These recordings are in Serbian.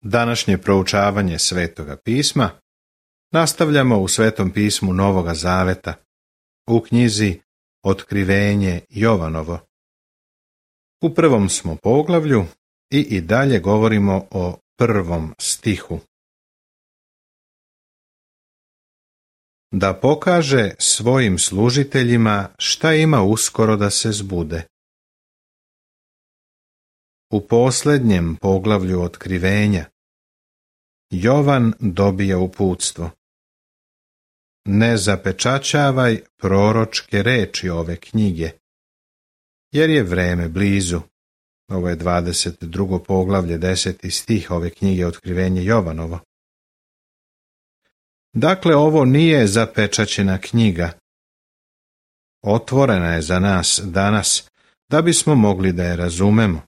Današnje proučavanje Svetoga pisma nastavljamo u Svetom pismu Novoga Zaveta, u knjizi Otkrivenje Jovanovo. U prvom smo poglavlju i dalje govorimo o 1. stihu. Da pokaže svojim služiteljima šta ima uskoro da se zbude. U posljednjem poglavlju Otkrivenja Jovan dobija uputstvo. Ne zapečaćavaj proročke reči ove knjige, jer je vreme blizu. Ovo je 22. poglavlje, 10. stih ove knjige Otkrivenje Jovanovo. Dakle, ovo nije zapečaćena knjiga. Otvorena je za nas danas, da bismo mogli da je razumemo.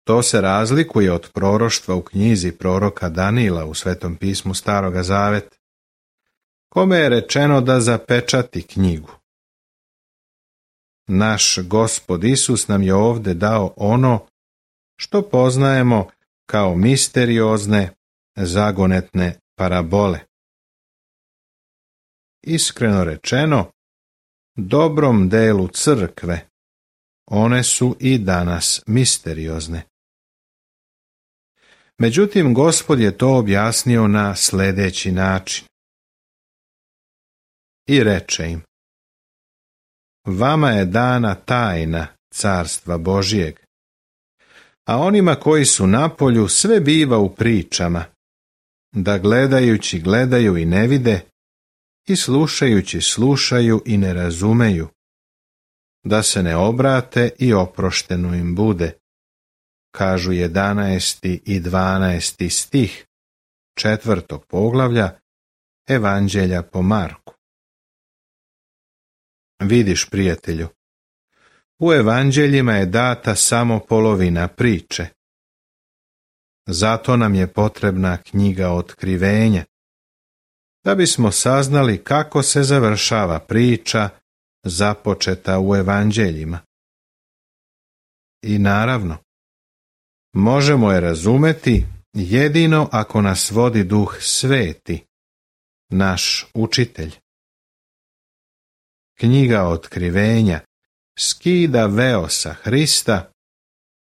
To se razlikuje od proroštva u knjizi proroka Danila u Svetom pismu Staroga Zaveta, kome je rečeno da zapečati knjigu. Naš Gospod Isus nam je ovdje dao ono što poznajemo kao misteriozne, zagonetne parabole. Iskreno rečeno, dobrom delu crkve one su i danas misteriozne. Međutim, Gospod je to objasnio na sljedeći način. I reče im: Vama je dana tajna carstva Božijeg, a onima koji su napolju sve biva u pričama, da gledajući gledaju i ne vide, i slušajući slušaju i ne razumeju, da se ne obrate i oprošteno im bude, kažu 11. i 12. stih 4. poglavlja Evanđelja po Marku. Vidiš, prijatelju, u evanđeljima je data samo polovina priče. Zato nam je potrebna knjiga Otkrivenja, da bismo saznali kako se završava priča započeta u evanđeljima. I naravno, možemo je razumeti jedino ako nas vodi Duh Sveti, naš učitelj. Knjiga Otkrivenja skida veo sa Hrista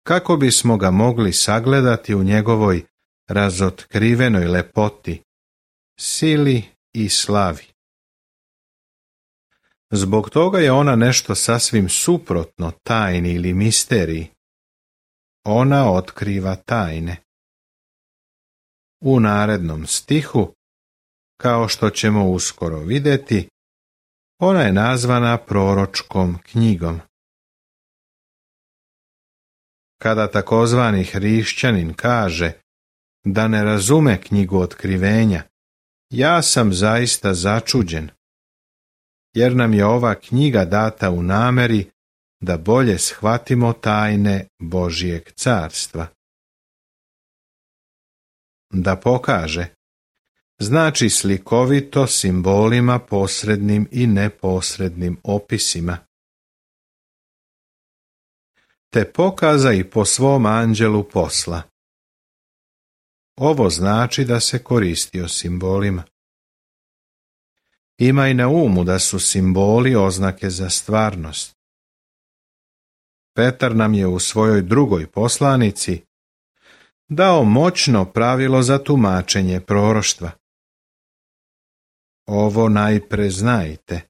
kako bismo ga mogli sagledati u njegovoj razotkrivenoj lepoti, sili i slavi. Zbog toga je ona nešto sasvim suprotno tajni ili misteriji. Ona otkriva tajne. U narednom stihu, kao što ćemo uskoro vidjeti, ona je nazvana proročkom knjigom. Kada takozvani hrišćanin kaže da ne razume knjigu Otkrivenja, ja sam zaista začuđen, jer nam je ova knjiga data u nameri da bolje shvatimo tajne Božijeg carstva. Da pokaže znači slikovito simbolima posrednim i neposrednim opisima. Te pokaza i po svom anđelu posla. Ovo znači da se koristio simbolima. Imaj na umu da su simboli oznake za stvarnost. Petar nam je u svojoj drugoj poslanici dao moćno pravilo za tumačenje proroštva. Ovo najpre znajte,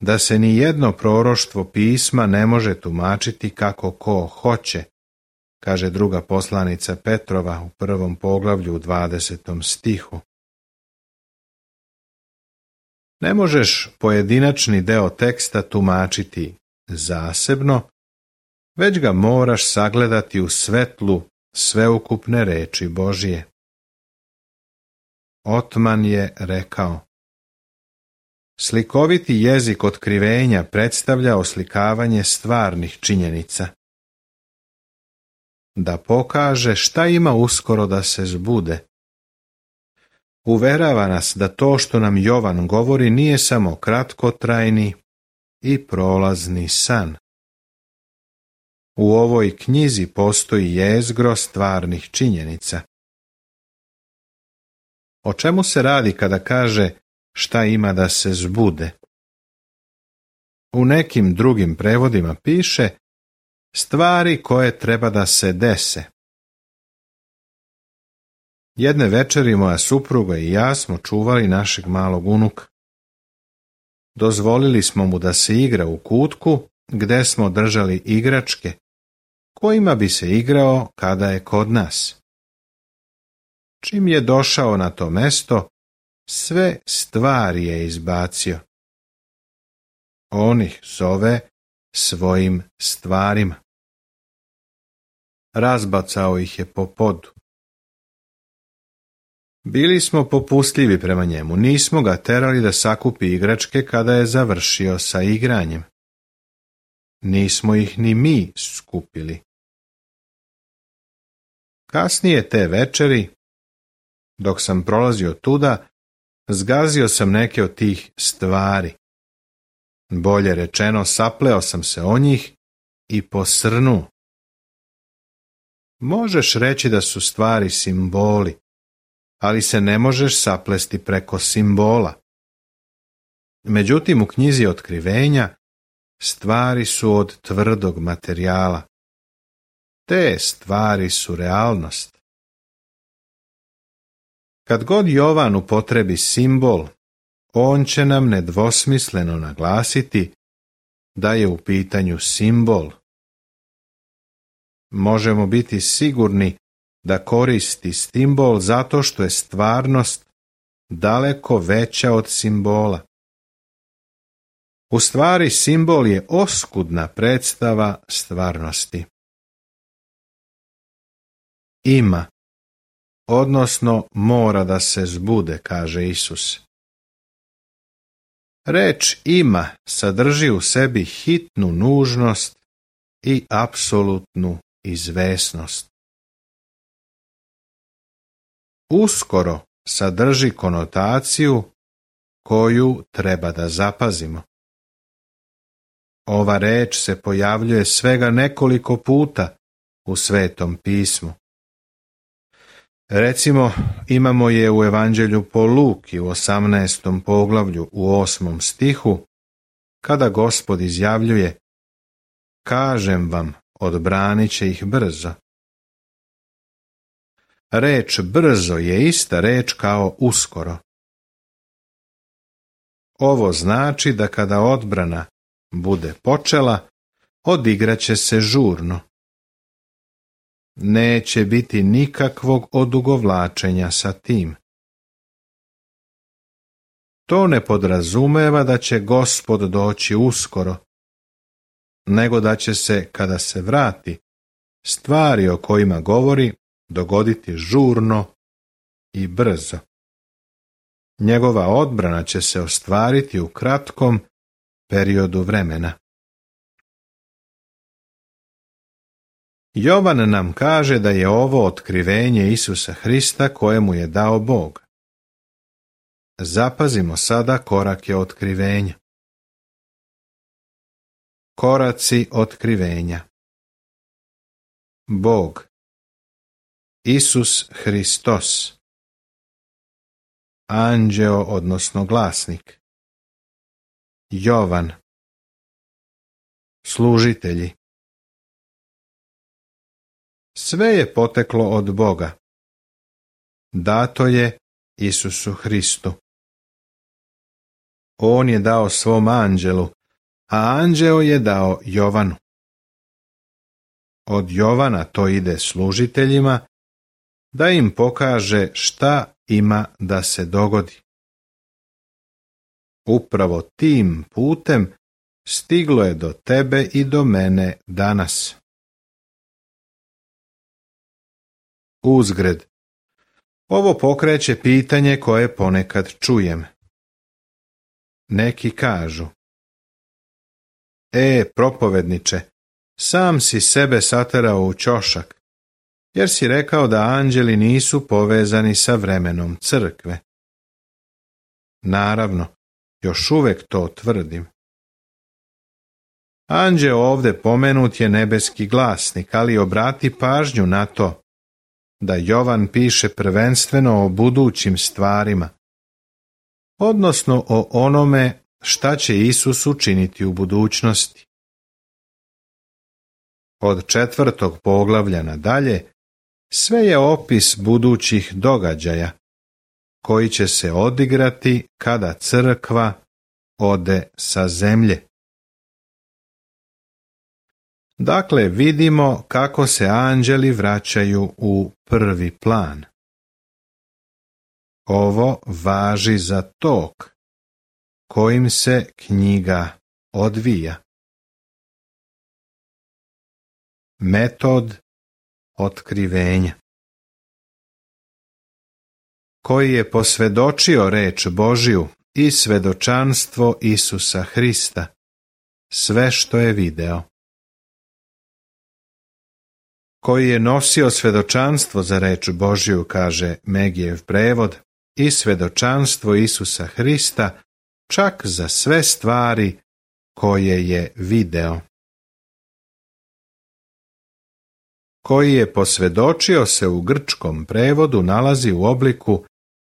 da se ni jedno proroštvo pisma ne može tumačiti kako ko hoće, kaže druga poslanica Petrova u 1. poglavlju u 20. stihu. Ne možeš pojedinačni deo teksta tumačiti zasebno, već ga moraš sagledati u svetlu sveukupne reči Božije. Otman je rekao: Slikoviti jezik otkrivenja predstavlja oslikavanje stvarnih činjenica. Da pokaže šta ima uskoro da se zbude. Uverava nas da to što nam Jovan govori nije samo kratkotrajni i prolazni san. U ovoj knjizi postoji jezgro stvarnih činjenica. O čemu se radi kada kaže šta ima da se zbude? U nekim drugim prevodima piše stvari koje treba da se dese. Jedne večeri moja supruga i ja smo čuvali našeg malog unuka. Dozvolili smo mu da se igra u kutku gde smo držali igračke, kojima bi se igrao kada je kod nas. Čim je došao na to mesto, sve stvari je izbacio. On ih zove svojim stvarima. Razbacao ih je po podu. Bili smo popustljivi prema njemu, nismo ga terali da sakupi igračke kada je završio sa igranjem. Nismo ih ni mi skupili. Kasnije te večeri, dok sam prolazio tuda, zgazio sam neke od tih stvari. Bolje rečeno, sapleo sam se o njih i posrnuo. Možeš reći da su stvari simboli, ali se ne možeš saplesti preko simbola. Međutim, u knjizi Otkrivenja stvari su od tvrdog materijala. Te stvari su realnost. Kad god Jovan upotrebi simbol, on će nam nedvosmisleno naglasiti da je u pitanju simbol. Možemo biti sigurni da koristi simbol zato što je stvarnost daleko veća od simbola. U stvari, simbol je oskudna predstava stvarnosti. Ima, odnosno mora da se zbude, kaže Isus. Reč ima sadrži u sebi hitnu nužnost i apsolutnu izvesnost. Uskoro sadrži konotaciju koju treba da zapazimo. Ova reč se pojavljuje svega nekoliko puta u Svetom pismu. Recimo, imamo je u Evanđelju po Luki u 18. poglavlju u 8. stihu, kada Gospod izjavljuje: kažem vam, odbranit će ih brzo. Reč brzo je ista reč kao uskoro. Ovo znači da kada odbrana bude počela, odigraće se žurno. Neće biti nikakvog odugovlačenja sa tim. To ne podrazumeva da će Gospod doći uskoro, nego da će se, kada se vrati, stvari o kojima govori dogoditi žurno i brzo. Njegova odbrana će se ostvariti u kratkom periodu vremena. Jovan nam kaže da je ovo otkrivenje Isusa Hrista koje mu je dao Bog. Zapazimo sada korake otkrivenja. Koraci otkrivenja. Bog. Isus Hristos. Anđeo, odnosno glasnik. Jovan. Služitelji. Sve je poteklo od Boga. Dato je Isusu Hristu. On je dao svom anđelu, a anđeo je dao Jovanu. Od Jovana to ide služiteljima, da im pokaže šta ima da se dogodi. Upravo tim putem stiglo je do tebe i do mene danas. Uzgred. Ovo pokreće pitanje koje ponekad čujem. Neki kažu: propovedniče, sam si sebe saterao u ćošak, jer si rekao da anđeli nisu povezani sa vremenom crkve. Naravno, još uvek to tvrdim. Anđeo ovdje pomenut je nebeski glasnik, ali obrati pažnju na to da Jovan piše prvenstveno o budućim stvarima, odnosno o onome šta će Isus učiniti u budućnosti. Od 4. poglavlja nadalje sve je opis budućih događaja koji će se odigrati kada crkva ode sa zemlje. Dakle, vidimo kako se anđeli vraćaju u prvi plan. Ovo važi za tok kojim se knjiga odvija. Metod otkrivenja. Koji je posvjedočio reč Božju i svedočanstvo Isusa Hrista, sve što je video. Koji je nosio svedočanstvo za reč Božju, kaže Megijev prevod, i svedočanstvo Isusa Hrista, čak za sve stvari koje je video. Koji je posvjedočio se u grčkom prevodu nalazi u obliku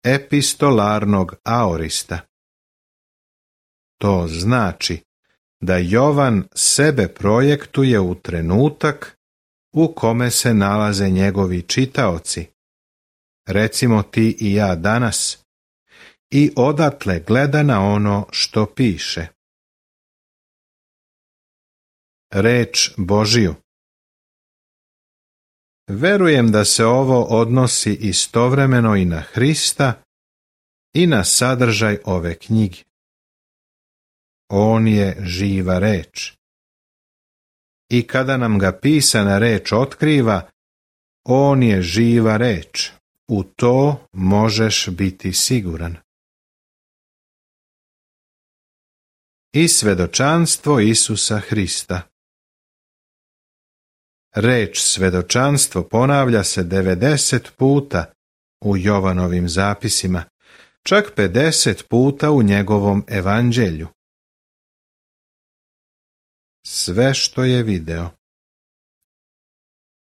epistolarnog aorista. To znači da Jovan sebe projektuje u trenutak u kome se nalaze njegovi čitaoci, recimo ti i ja danas, i odatle gleda na ono što piše. Reč Božiju. Verujem da se ovo odnosi istovremeno i na Hrista i na sadržaj ove knjige. On je živa reč. I kada nam ga pisana reč otkriva, on je živa reč. U to možeš biti siguran. I svedočanstvo Isusa Hrista. Reč svedočanstvo ponavlja se 90 puta u Jovanovim zapisima, čak 50 puta u njegovom evanđelju. Sve što je video.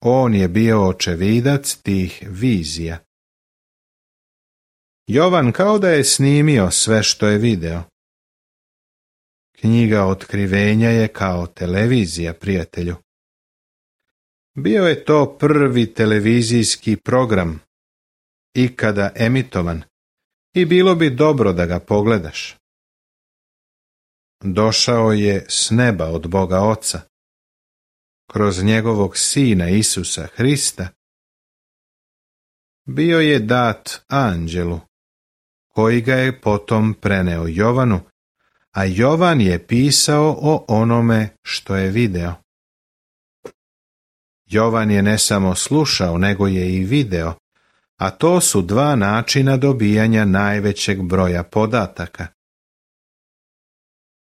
On je bio očevidac tih vizija. Jovan kao da je snimio sve što je video. Knjiga otkrivenja je kao televizija, prijatelju. Bio je to prvi televizijski program ikada emitovan i bilo bi dobro da ga pogledaš. Došao je s neba od Boga Oca, kroz njegovog Sina Isusa Hrista. Bio je dat anđelu, koji ga je potom preneo Jovanu, a Jovan je pisao o onome što je video. Jovan je ne samo slušao, nego je i video, a to su dva načina dobijanja najvećeg broja podataka.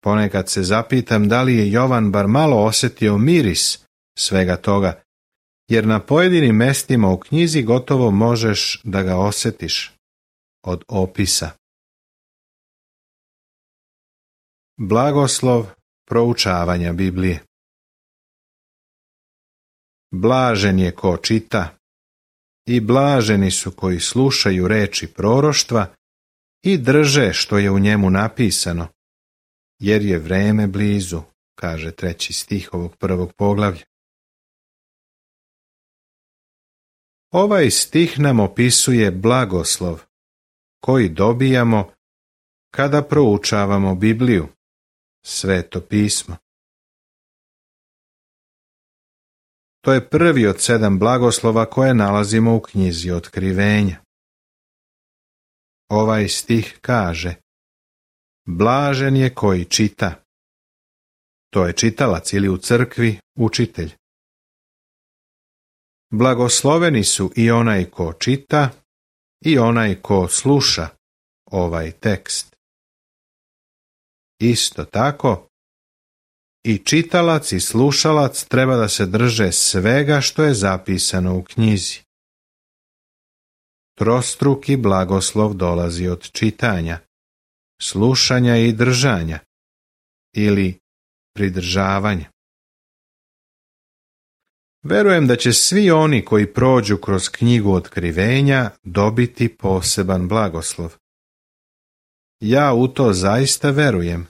Ponekad se zapitam da li je Jovan bar malo osjetio miris svega toga, jer na pojedinim mestima u knjizi gotovo možeš da ga osjetiš od opisa. Blagoslov proučavanja Biblije. Blažen je ko čita i blaženi su koji slušaju reči proroštva i drže što je u njemu napisano, jer je vreme blizu, kaže 3. stih ovog 1. poglavlja. Ovaj stih nam opisuje blagoslov koji dobijamo kada proučavamo Bibliju, Sveto pismo. To je prvi od 7 blagoslova koje nalazimo u knjizi Otkrivenja. Ovaj stih kaže: blažen je koji čita. To je čitalac ili u crkvi učitelj. Blagosloveni su i onaj ko čita i onaj ko sluša ovaj tekst. Isto tako, i čitalac i slušalac treba da se drže svega što je zapisano u knjizi. Trostruki blagoslov dolazi od čitanja, slušanja i držanja, ili pridržavanje. Verujem da će svi oni koji prođu kroz knjigu Otkrivenja dobiti poseban blagoslov. Ja u to zaista verujem,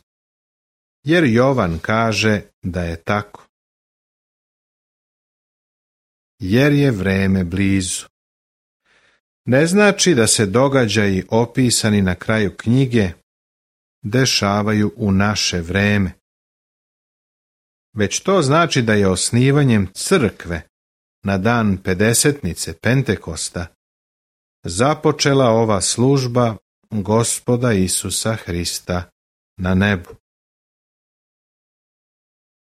jer Jovan kaže da je tako. Jer je vreme blizu. Ne znači da se događaji opisani na kraju knjige dešavaju u naše vreme, već to znači da je osnivanjem crkve na dan pedesetnice Pentekosta započela ova služba Gospoda Isusa Hrista na nebu.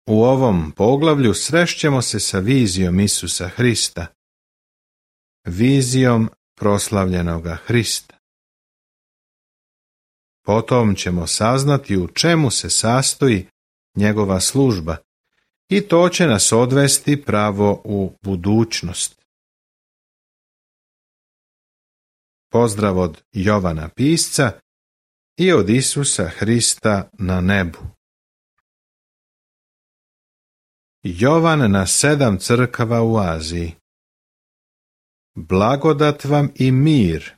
U ovom poglavlju srešćemo se sa vizijom Isusa Hrista, vizijom proslavljenoga Hrista. Potom ćemo saznati u čemu se sastoji njegova služba i to će nas odvesti pravo u budućnost. Pozdrav od Jovana pisca i od Isusa Hrista na nebu. Jovan na 7 crkava u Aziji. Blagodat vam i mir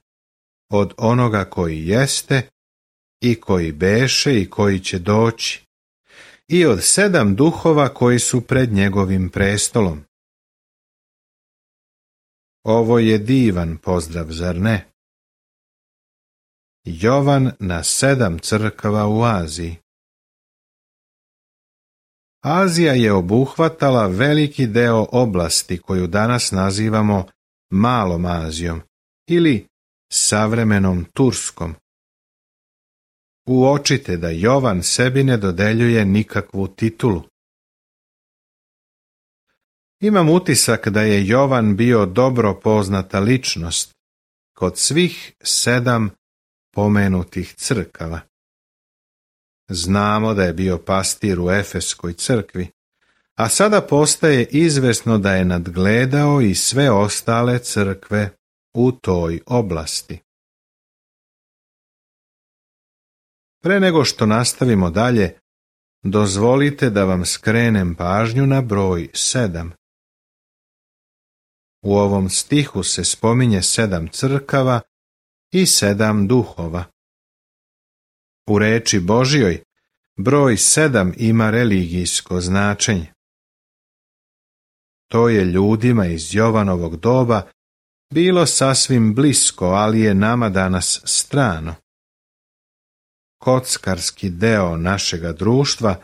od onoga koji jeste i koji beše i koji će doći, i od 7 duhova koji su pred njegovim prestolom. Ovo je divan pozdrav, zar ne? Jovan na 7 crkava u Aziji. Azija je obuhvatala veliki deo oblasti koju danas nazivamo Malom Azijom ili savremenom Turskom. Uočite da Jovan sebi ne dodeljuje nikakvu titulu. Imam utisak da je Jovan bio dobro poznata ličnost kod svih 7 pomenutih crkava. Znamo da je bio pastir u Efeskoj crkvi, a sada postaje izvesno da je nadgledao i sve ostale crkve u toj oblasti. Pre nego što nastavimo dalje, dozvolite da vam skrenem pažnju na broj 7. U ovom stihu se spominje 7 crkava i 7 duhova. U reči Božjoj broj 7 ima religijsko značenje. To je ljudima iz Jovanovog doba bilo sasvim blisko, ali je nama danas strano. Kockarski deo našega društva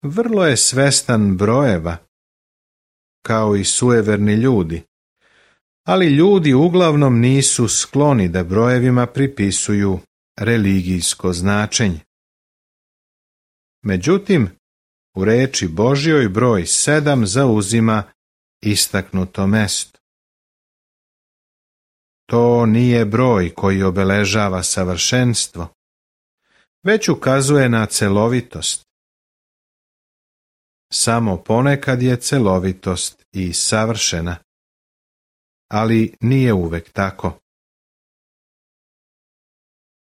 vrlo je svestan brojeva, kao i sujeverni ljudi, ali ljudi uglavnom nisu skloni da brojevima pripisuju religijsko značenje. Međutim, u reči Božjoj broj 7 zauzima istaknuto mesto. To nije broj koji obeležava savršenstvo, već ukazuje na celovitost. Samo ponekad je celovitost i savršena, ali nije uvek tako.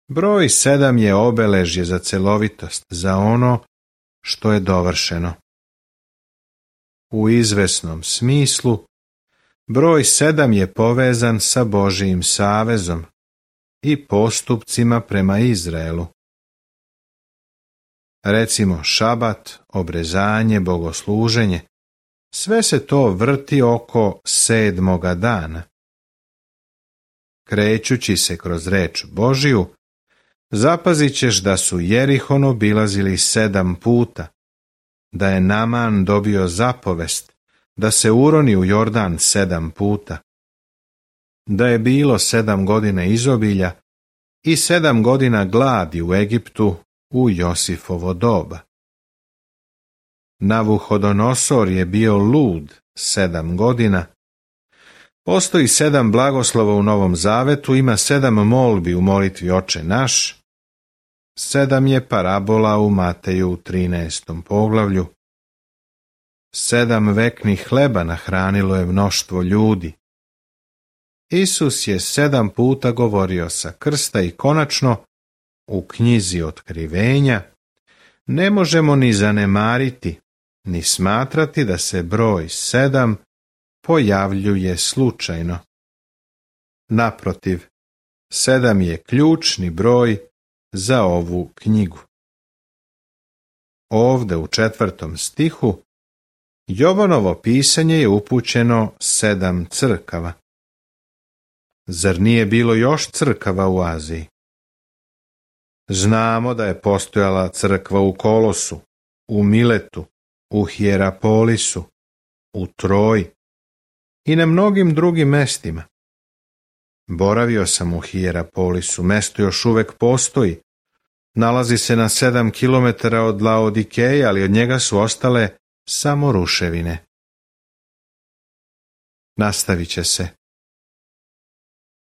Broj 7 je obeležje za celovitost, za ono što je dovršeno. U izvesnom smislu, broj 7 je povezan sa Božijim savezom i postupcima prema Izraelu. Recimo šabat, obrezanje, bogosluženje, sve se to vrti oko 7. dana. Krećući se kroz reč Božiju, zapazit ćeš da su Jerihon obilazili 7 puta, da je Naman dobio zapovest da se uroni u Jordan 7 puta, da je bilo 7 godina izobilja i 7 godina gladi u Egiptu u Josifovo doba. Navuhodonosor je bio lud 7 godina. Postoji 7 blagoslova u Novom Zavetu, ima 7 molbi u molitvi Oče naš, 7 je parabola u Mateju u 13. poglavlju, 7 veknih hleba nahranilo je mnoštvo ljudi. Isus je 7 puta govorio sa krsta i konačno, u knjizi Otkrivenja, ne možemo ni zanemariti ni smatrati da se broj 7 pojavljuje slučajno. Naprotiv, 7 je ključni broj za ovu knjigu. Ovde u 4. stihu Jovanovo pisanje je upućeno 7 crkava. Zar nije bilo još crkava u Aziji? Znamo da je postojala crkva u Kolosu, u Miletu, u Hierapolisu, u Troji i na mnogim drugim mestima. Boravio sam u Hierapolisu, mesto još uvek postoji. Nalazi se na 7 km od Laodikeje, ali od njega su ostale samo ruševine. Nastavit će se